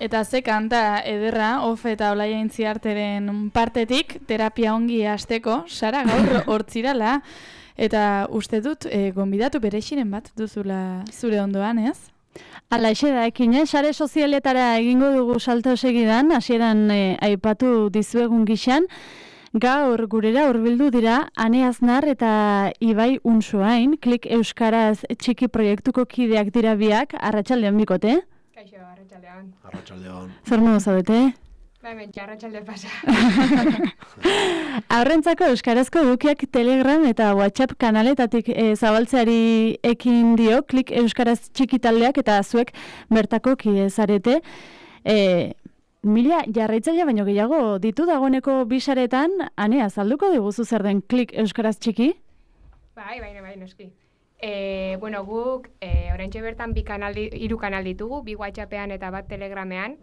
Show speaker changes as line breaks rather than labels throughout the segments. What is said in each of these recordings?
Eta ze kanta ederra, Of eta Olaia Intziarteren partetik, terapia ongi hasteko, Sara gaur hortzirala, eta uste dut, gonbidatu berexiren bat duzula zure ondoan, ez?
Ala da ekin, sare sozialetara egingo dugu salto segidan, hasieran aipatu dizuegun gixan, gaur gurera hurbildu dira Ane Aznar eta Ibai Unsoain, Klik Euskaraz txiki proiektuko kideak dira biak, arratsaldean bikote?
Kaixo, arratsaldean.
Arratsaldean.
Zer modu zaudete?
Hemen arratsalde pasa.
Aurrentzako euskarazko edukiak Telegram eta WhatsApp kanaletatik zabaltzeari ekin dio, Klik Euskaraz txiki taldeak eta zuek bertako kide zarete. 1000 jarraitzaile baino gehiago ditu dagoeneko bisaretan, Ane, azalduko diguzu zer den Klik Euskaraz txiki?
Bai, noski. Bueno, guk oraintxe bertan 3 kanal ditugu, 2 WhatsAppean eta bat Telegramean.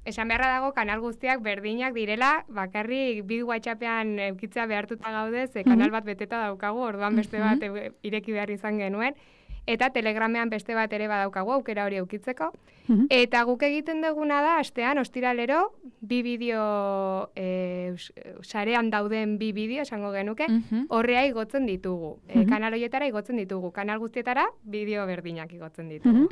Esan beharra dago kanal guztiak berdinak direla, bakarrik 2 WhatsAppean eukitzea behartuta gaude, ze kanal bat beteta daukagu, orduan beste bat ireki behar izan genuen. Eta Telegramean beste bat ere badaukagu aukera hori eukitzeko. Eta guk egiten duguna da, astean, ostiralero, 2 bideo, sarean dauden 2 bideo, esango genuke, horrea igotzen ditugu. Kanal horietara igotzen ditugu. Kanal guztietara bideo berdinak igotzen ditugu.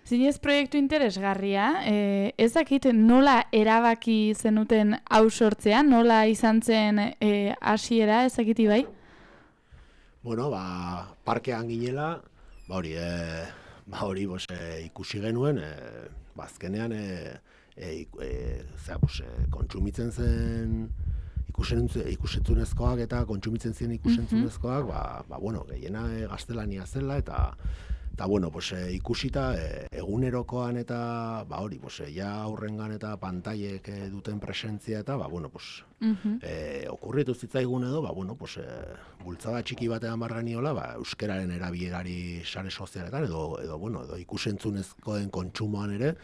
Zinez proiektu interesgarria, ez dakit nola erabaki zenuten hau sortzea, nola izan zen hasiera, ez dakit Ibai?
Bueno, parkean ginela, hori ikusi genuen, azkenean kontsumitzen zen ikusentzunezkoak eta kontsumitzen ziren ikusentzunezkoak, gehiena gaztelania zela eta ikusita egunerokoan eta ja aurrengan eta pantailek duten presentzia eta okurritu zitzaigun edo bultzada txiki batean barraniola euskararen erabilerari sare sozialetan edo ikusentzunezkoen kontsumoan ere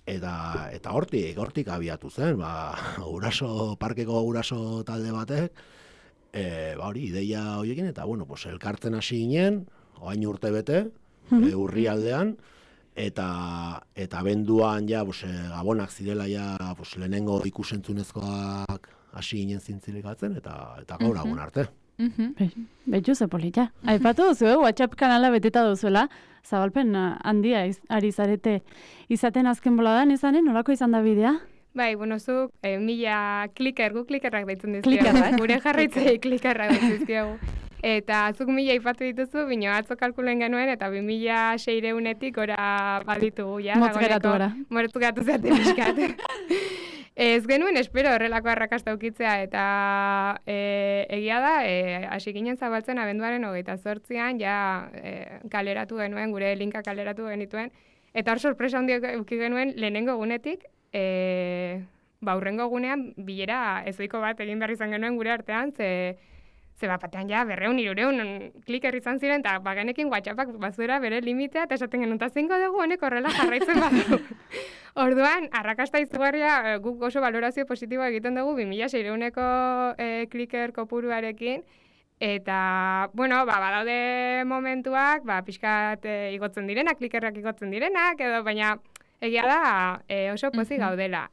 eta hortik abiatu zen parkeko guraso talde batek ideia horiekin eta elkartzen hasi ginen orain urte bete urrialdean, eta abenduan gabonak zirela lehenengo ikusentzunezkoak hasi ginen zintzilikatzen, eta gaur agun arte.
Betxu ze polita. Aipatu duzu, WhatsApp kanala beteta duzuela, zabalpen handia ari zarete izaten azken boladan, izanen, nolako izan da bidea?
Bai, zuk 1000 klikerrak deitzen dizkiagu. Gure jarraitzei klikerrak deitzen dizkiagu. Eta azuk 1000 aipatu dituzu, bino atzo kalkulen genuen, eta 2600-etik gora baditugu, ja.
Motzgeratu gara.
Motzgeratu zate pixkat. Ez genuen espero horrelako arrakasta ukitzea, eta egia da, hasi ginen zabaltzen abenduaren 28an, ja kaleratu genuen, gure linka kaleratu genituen, eta hor sorpresa handiak uki genuen lehenengo egunetik, hurrengo egunean bilera ezoiko bat egin behar izan genuen gure artean, ze batean 200-300 kliker izan ziren, eta bagenekin WhatsAppak bazuera bere limitea, eta esaten genuen, eta zingo dugu honek horrela jarraitzen badu. Orduan, arrakasta izugarria guk oso valorazio positiboa egiten dugu 2600-eko kliker kopuruarekin, eta, badaude momentuak, pixkat igotzen direnak, klikerrak igotzen direnak, edo baina egia da oso pozik gaudela.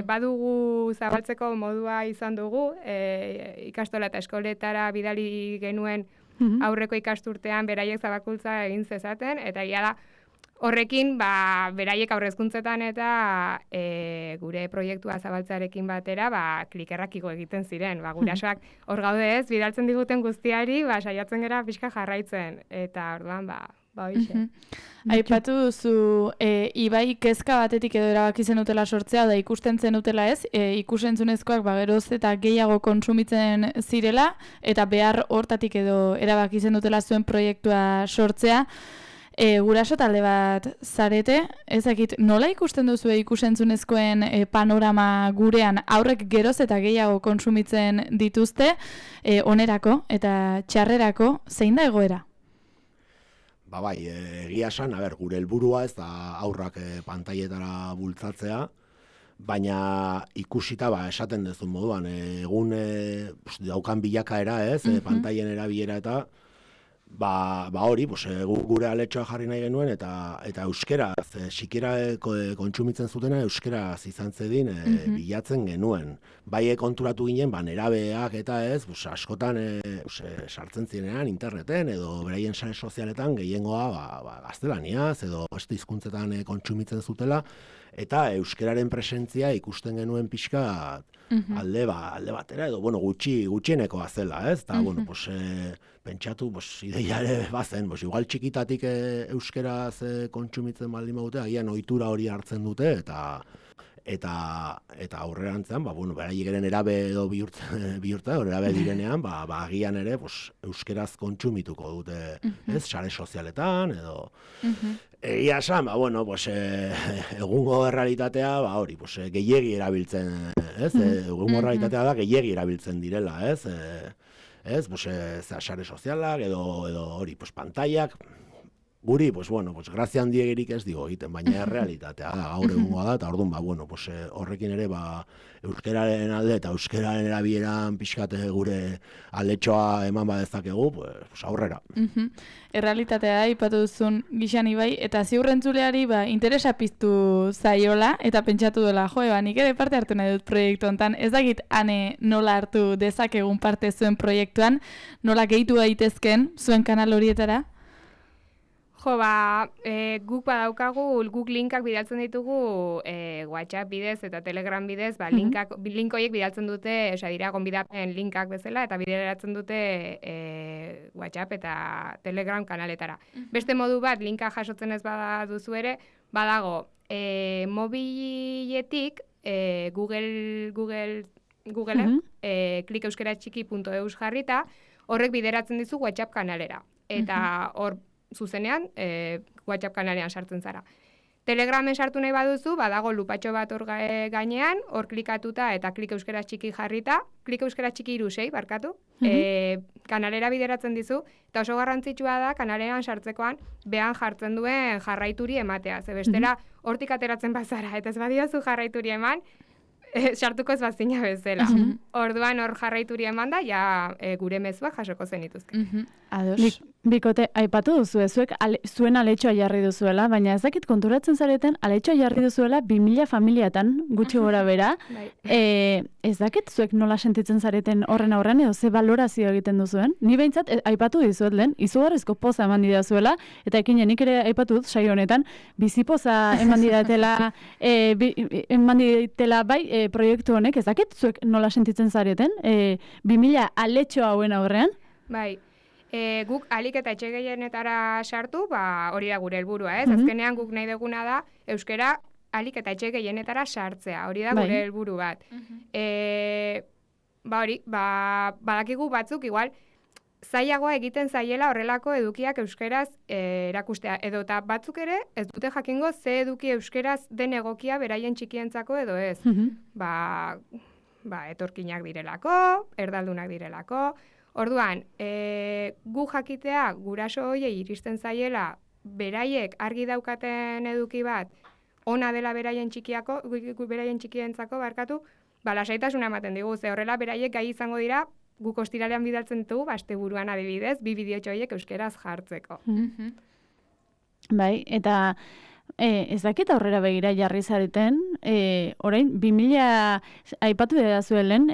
Badugu zabaltzeko modua izan dugu, ikastola eta eskoletara bidali genuen aurreko ikasturtean beraiek zabakuntza egin zezaten, eta egia da horrekin beraiek aurrezkuntzetan eta gure proiektua zabaltzearekin batera klikerrak igo egiten ziren. Gurasoak hor gaude ez, bidaltzen diguten guztiari, saiatzen gera pixka jarraitzen, eta orduan hoixe.
Aipatu duzu, Ibai kezka batetik edo erabaki zenutela sortzea, da ikusten zenutela ez, ikusentzunezkoak geroz eta gehiago kontsumitzen zirela, eta behar hortatik edo erabaki zenutela zuen proiektua sortzea. Guraso talde bat zarete, ezakit nola ikusten duzu ikusentzunezkoen panorama gurean aurrek geroz eta gehiago kontsumitzen dituzte, onerako eta txarrerako, zein da egoera?
Egia esan, gure helburua ez da aurrak pantailetara bultzatzea, baina ikusita esaten duzun moduan, egun daukan bilakaera ez, pantailen erabilera eta hori, gure aletxoa jarri nahi genuen, eta euskeraz, sikiera kontsumitzen zutena euskeraz izan zedin bilatzen genuen. Bai konturatu ginen, nerabeak eta ez, askotan sartzen zirenean interneten, edo beraien sare sozialetan gehiengoa gaztelaniaz, edo beste hizkuntzetan kontsumitzen zutela, eta euskeraren presentzia ikusten genuen pixka alde batera, edo gutxienekoa zela, ez? Eta, pentsatu, ideia ere bazen, igual txikitatik euskeraz kontsumitzen baldin badute, agian ohitura hori hartzen dute, eta aurrerantzean, beraiek eren erabe edo bihurtza, erabe direnean, agian ere euskeraz kontsumituko dute, ez, sare sozialetan, edo... Egia esan, egungo errealitatea, hori, gehiegi erabiltzen, ez, egungo errealitatea da gehiegi erabiltzen direla, ez, sare sozialak, edo hori, pantaiak, guri, grazia handiegirik ez digo egiten, baina errealitatea da, gaur egungoa da, eta orduan, horrekin ere, euskeraren alde eta euskeraren erabieran pixkate gure aletxoa eman badezakegu, aurrera.
Errealitatea da, ipatu duzun gixan Ibai, eta ziurrentzuleari interesa piztu zaiola, eta pentsatu dela, nik ere parte hartu nahi dut proiektu honetan, ez dakit ane nola hartu dezakegun parte zuen proiektuan, nola gehitu daitezken zuen kanal horietara?
Guk badaukagu, guk linkak bidaltzen ditugu WhatsApp bidez eta Telegram bidez, link horiek bidaltzen dute, dira gonbidapen linkak bezala, eta bideratzen dute WhatsApp eta Telegram kanaletara. Beste modu bat, linka jasotzen ez baduzu ere, badago, mobiletik Googleen, klikeuskaratxiki.eus jarrita, horrek bideratzen dizu WhatsApp kanalera. Eta hor, zuzenean, WhatsApp kanalean sartzen zara. Telegramen sartu nahi baduzu, badago lupatxo bat hor gainean, hor klikatuta eta klik euskera txiki jarrita, klik euskera txiki 6, barkatu, kanalera bideratzen dizu, eta oso garrantzitsua da kanaleran sartzekoan behan jartzen duen jarraituri ematea. Ze bestela, hortik ateratzen bazara, eta ez badiozu jarraituri eman, sartuko ez bazina bezala. Orduan hor jarraituri eman da, gure mezuak jasoko zenituzke.
Ados. Bikote, aipatu duzu, zuek zuen aletxoa jarri duzuela, baina ez dakit konturatzen zareten aletxoa jarri duzuela 2000 familiatan, gutxi gora bera. Ez dakit zuek nola sentitzen zareten horren aurrean, edo ze balorazio egiten duzuen? Ni behintzat, aipatu dizuet lehen, izugarrizko poza eman didazuela, eta ekinenik ere aipatu dut, saio honetan, bizipoza eman ditela bai proiektu honek, ez dakit zuek nola sentitzen zareten, 2000 aletxoa hauen aurrean?
Bai. Guk alik eta etxe gehienetara sartu, hori da gure helburua, ez? Azkenean guk nahi duguna da euskera alik eta etxe gehienetara sartzea, hori da gure helburu bat. Badakigu batzuk igual zailagoa egiten zaiela horrelako edukiak euskeraz erakustea, edo eta batzuk ere ez dute jakingo ze eduki euskeraz den egokia beraien txikientzako edo ez. Etorkinak direlako, erdaldunak direlako. Orduan, gu jakitea guraso hoiei iristen zaiela beraiek argi daukaten eduki bat ona dela beraien txikientzako barkatu, lasaitasuna ematen digu, ze horrela beraiek gai izango dira guk ostiralean bidaltzen ditugu, asteburuan adibidez, 2 bideotxo horiek euskeraz jartzeko.
Bai, eta ez dakit aurrera begira jarri zareten, orain 2000 aipatu dira zuelen,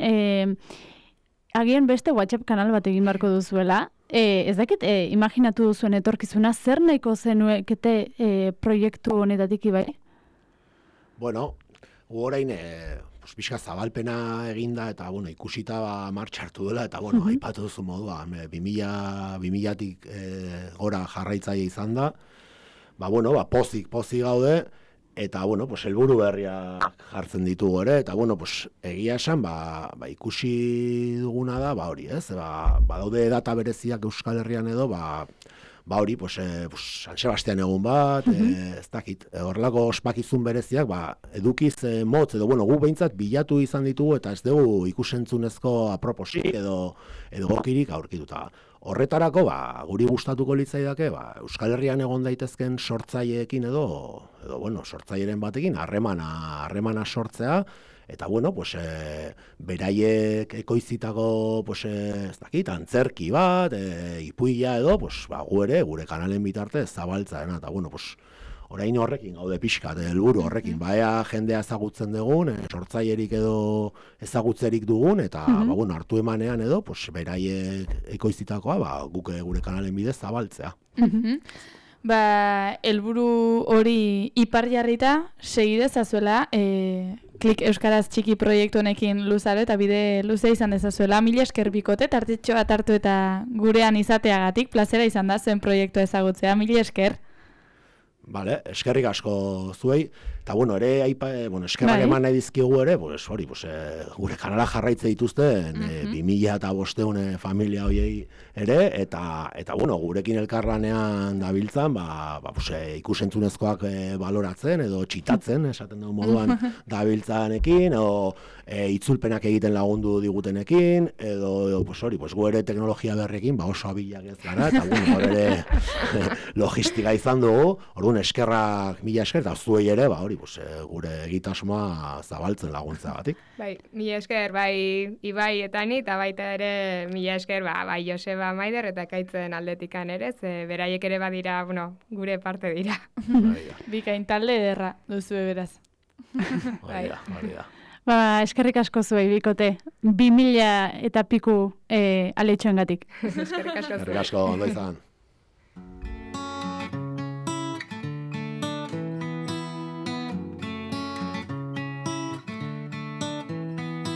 agian beste WhatsApp kanal bat egin beharko duzuela. Ez dakit, imaginatu duzuen etorkizuna, zer nahiko zenuekete proiektu honetatik Ibai?
Bueno, orain pixka zabalpena eginda eta ikusita martxartu dela eta aipatu duzu modua, 2000-tik gora jarraitzaile izan da, pozik gaude, eta, helburu berriak jartzen ditugu ere, eta, egia esan, ikusi duguna da, hori, ez? Badaude data bereziak Euskal Herrian edo, hori, San Sebastian egun bat, ez dakit, horrelako ospakizun bereziak, edukiz motz, edo, gu behintzat bilatu izan ditugu, eta ez dugu ikusentzunezko aproposik edo gokirik aurkituta. Horretarako, guri gustatuko litzaidake, Euskal Herrian egon daitezken sortzaileekin edo sortzaileen batekin harremana sortzea, Eta bueno, pues, beraiek ekoizitako, pues, ez dakit, antzerki bat, ipuila edo, pues, gu ere, gure kanalen bitartez zabaltzaena, eta bueno, pues, orain horrekin gaude pixkat, helburu horrekin, baea jendea ezagutzen dugun, sortzailerik edo ezagutzerik dugun, eta bueno, hartu emanean edo, pues, beraiek ekoizitakoa, guk gure kanalen bidez zabaltzea.
Helburu hori ipar jarrita, segidezazuela, Klik Euskaraz txiki proiektu honekin luzaro eta bide luze izan dezazuela. Mila esker bikote, tartetxo bat hartu eta gurean izateagatik, plazera izan da zuen proiektua ezagutzea. Mila esker.
Vale, eskerrik asko zuei, eta bueno, ere eskerrak eman nahi dizkigu ere, gure kanala jarraitze dituzten 2500 familia hoiei ere, eta bueno, gurekin elkarlanean dabiltzan, ikusentzunezkoak baloratzen edo txitatzen, esaten dugu moduan dabiltzanekin, edo itzulpenak egiten lagundu digutenekin, edo gu ere teknologia berrekin oso abilak ez gara, eta bueno, ere logistika izan dugu, orduan eskerrak mila esker, eta zuei ere, gure egitasmoa zabaltzen laguntzagatik.
Bai, mila esker, bai Ibai eta ni, eta baita ere mila esker, bai Joseba Maider eta Ekaitzen aldetikan ere, ze beraiek ere badira, gure parte dira.
Bikain talde ederra duzue beraz.
Hori da.
Eskerrik asko zuei bikote, 2000 eta piku aletxoengatik.
Eskerrik asko zuei.
Eskerrik asko, ondo izan.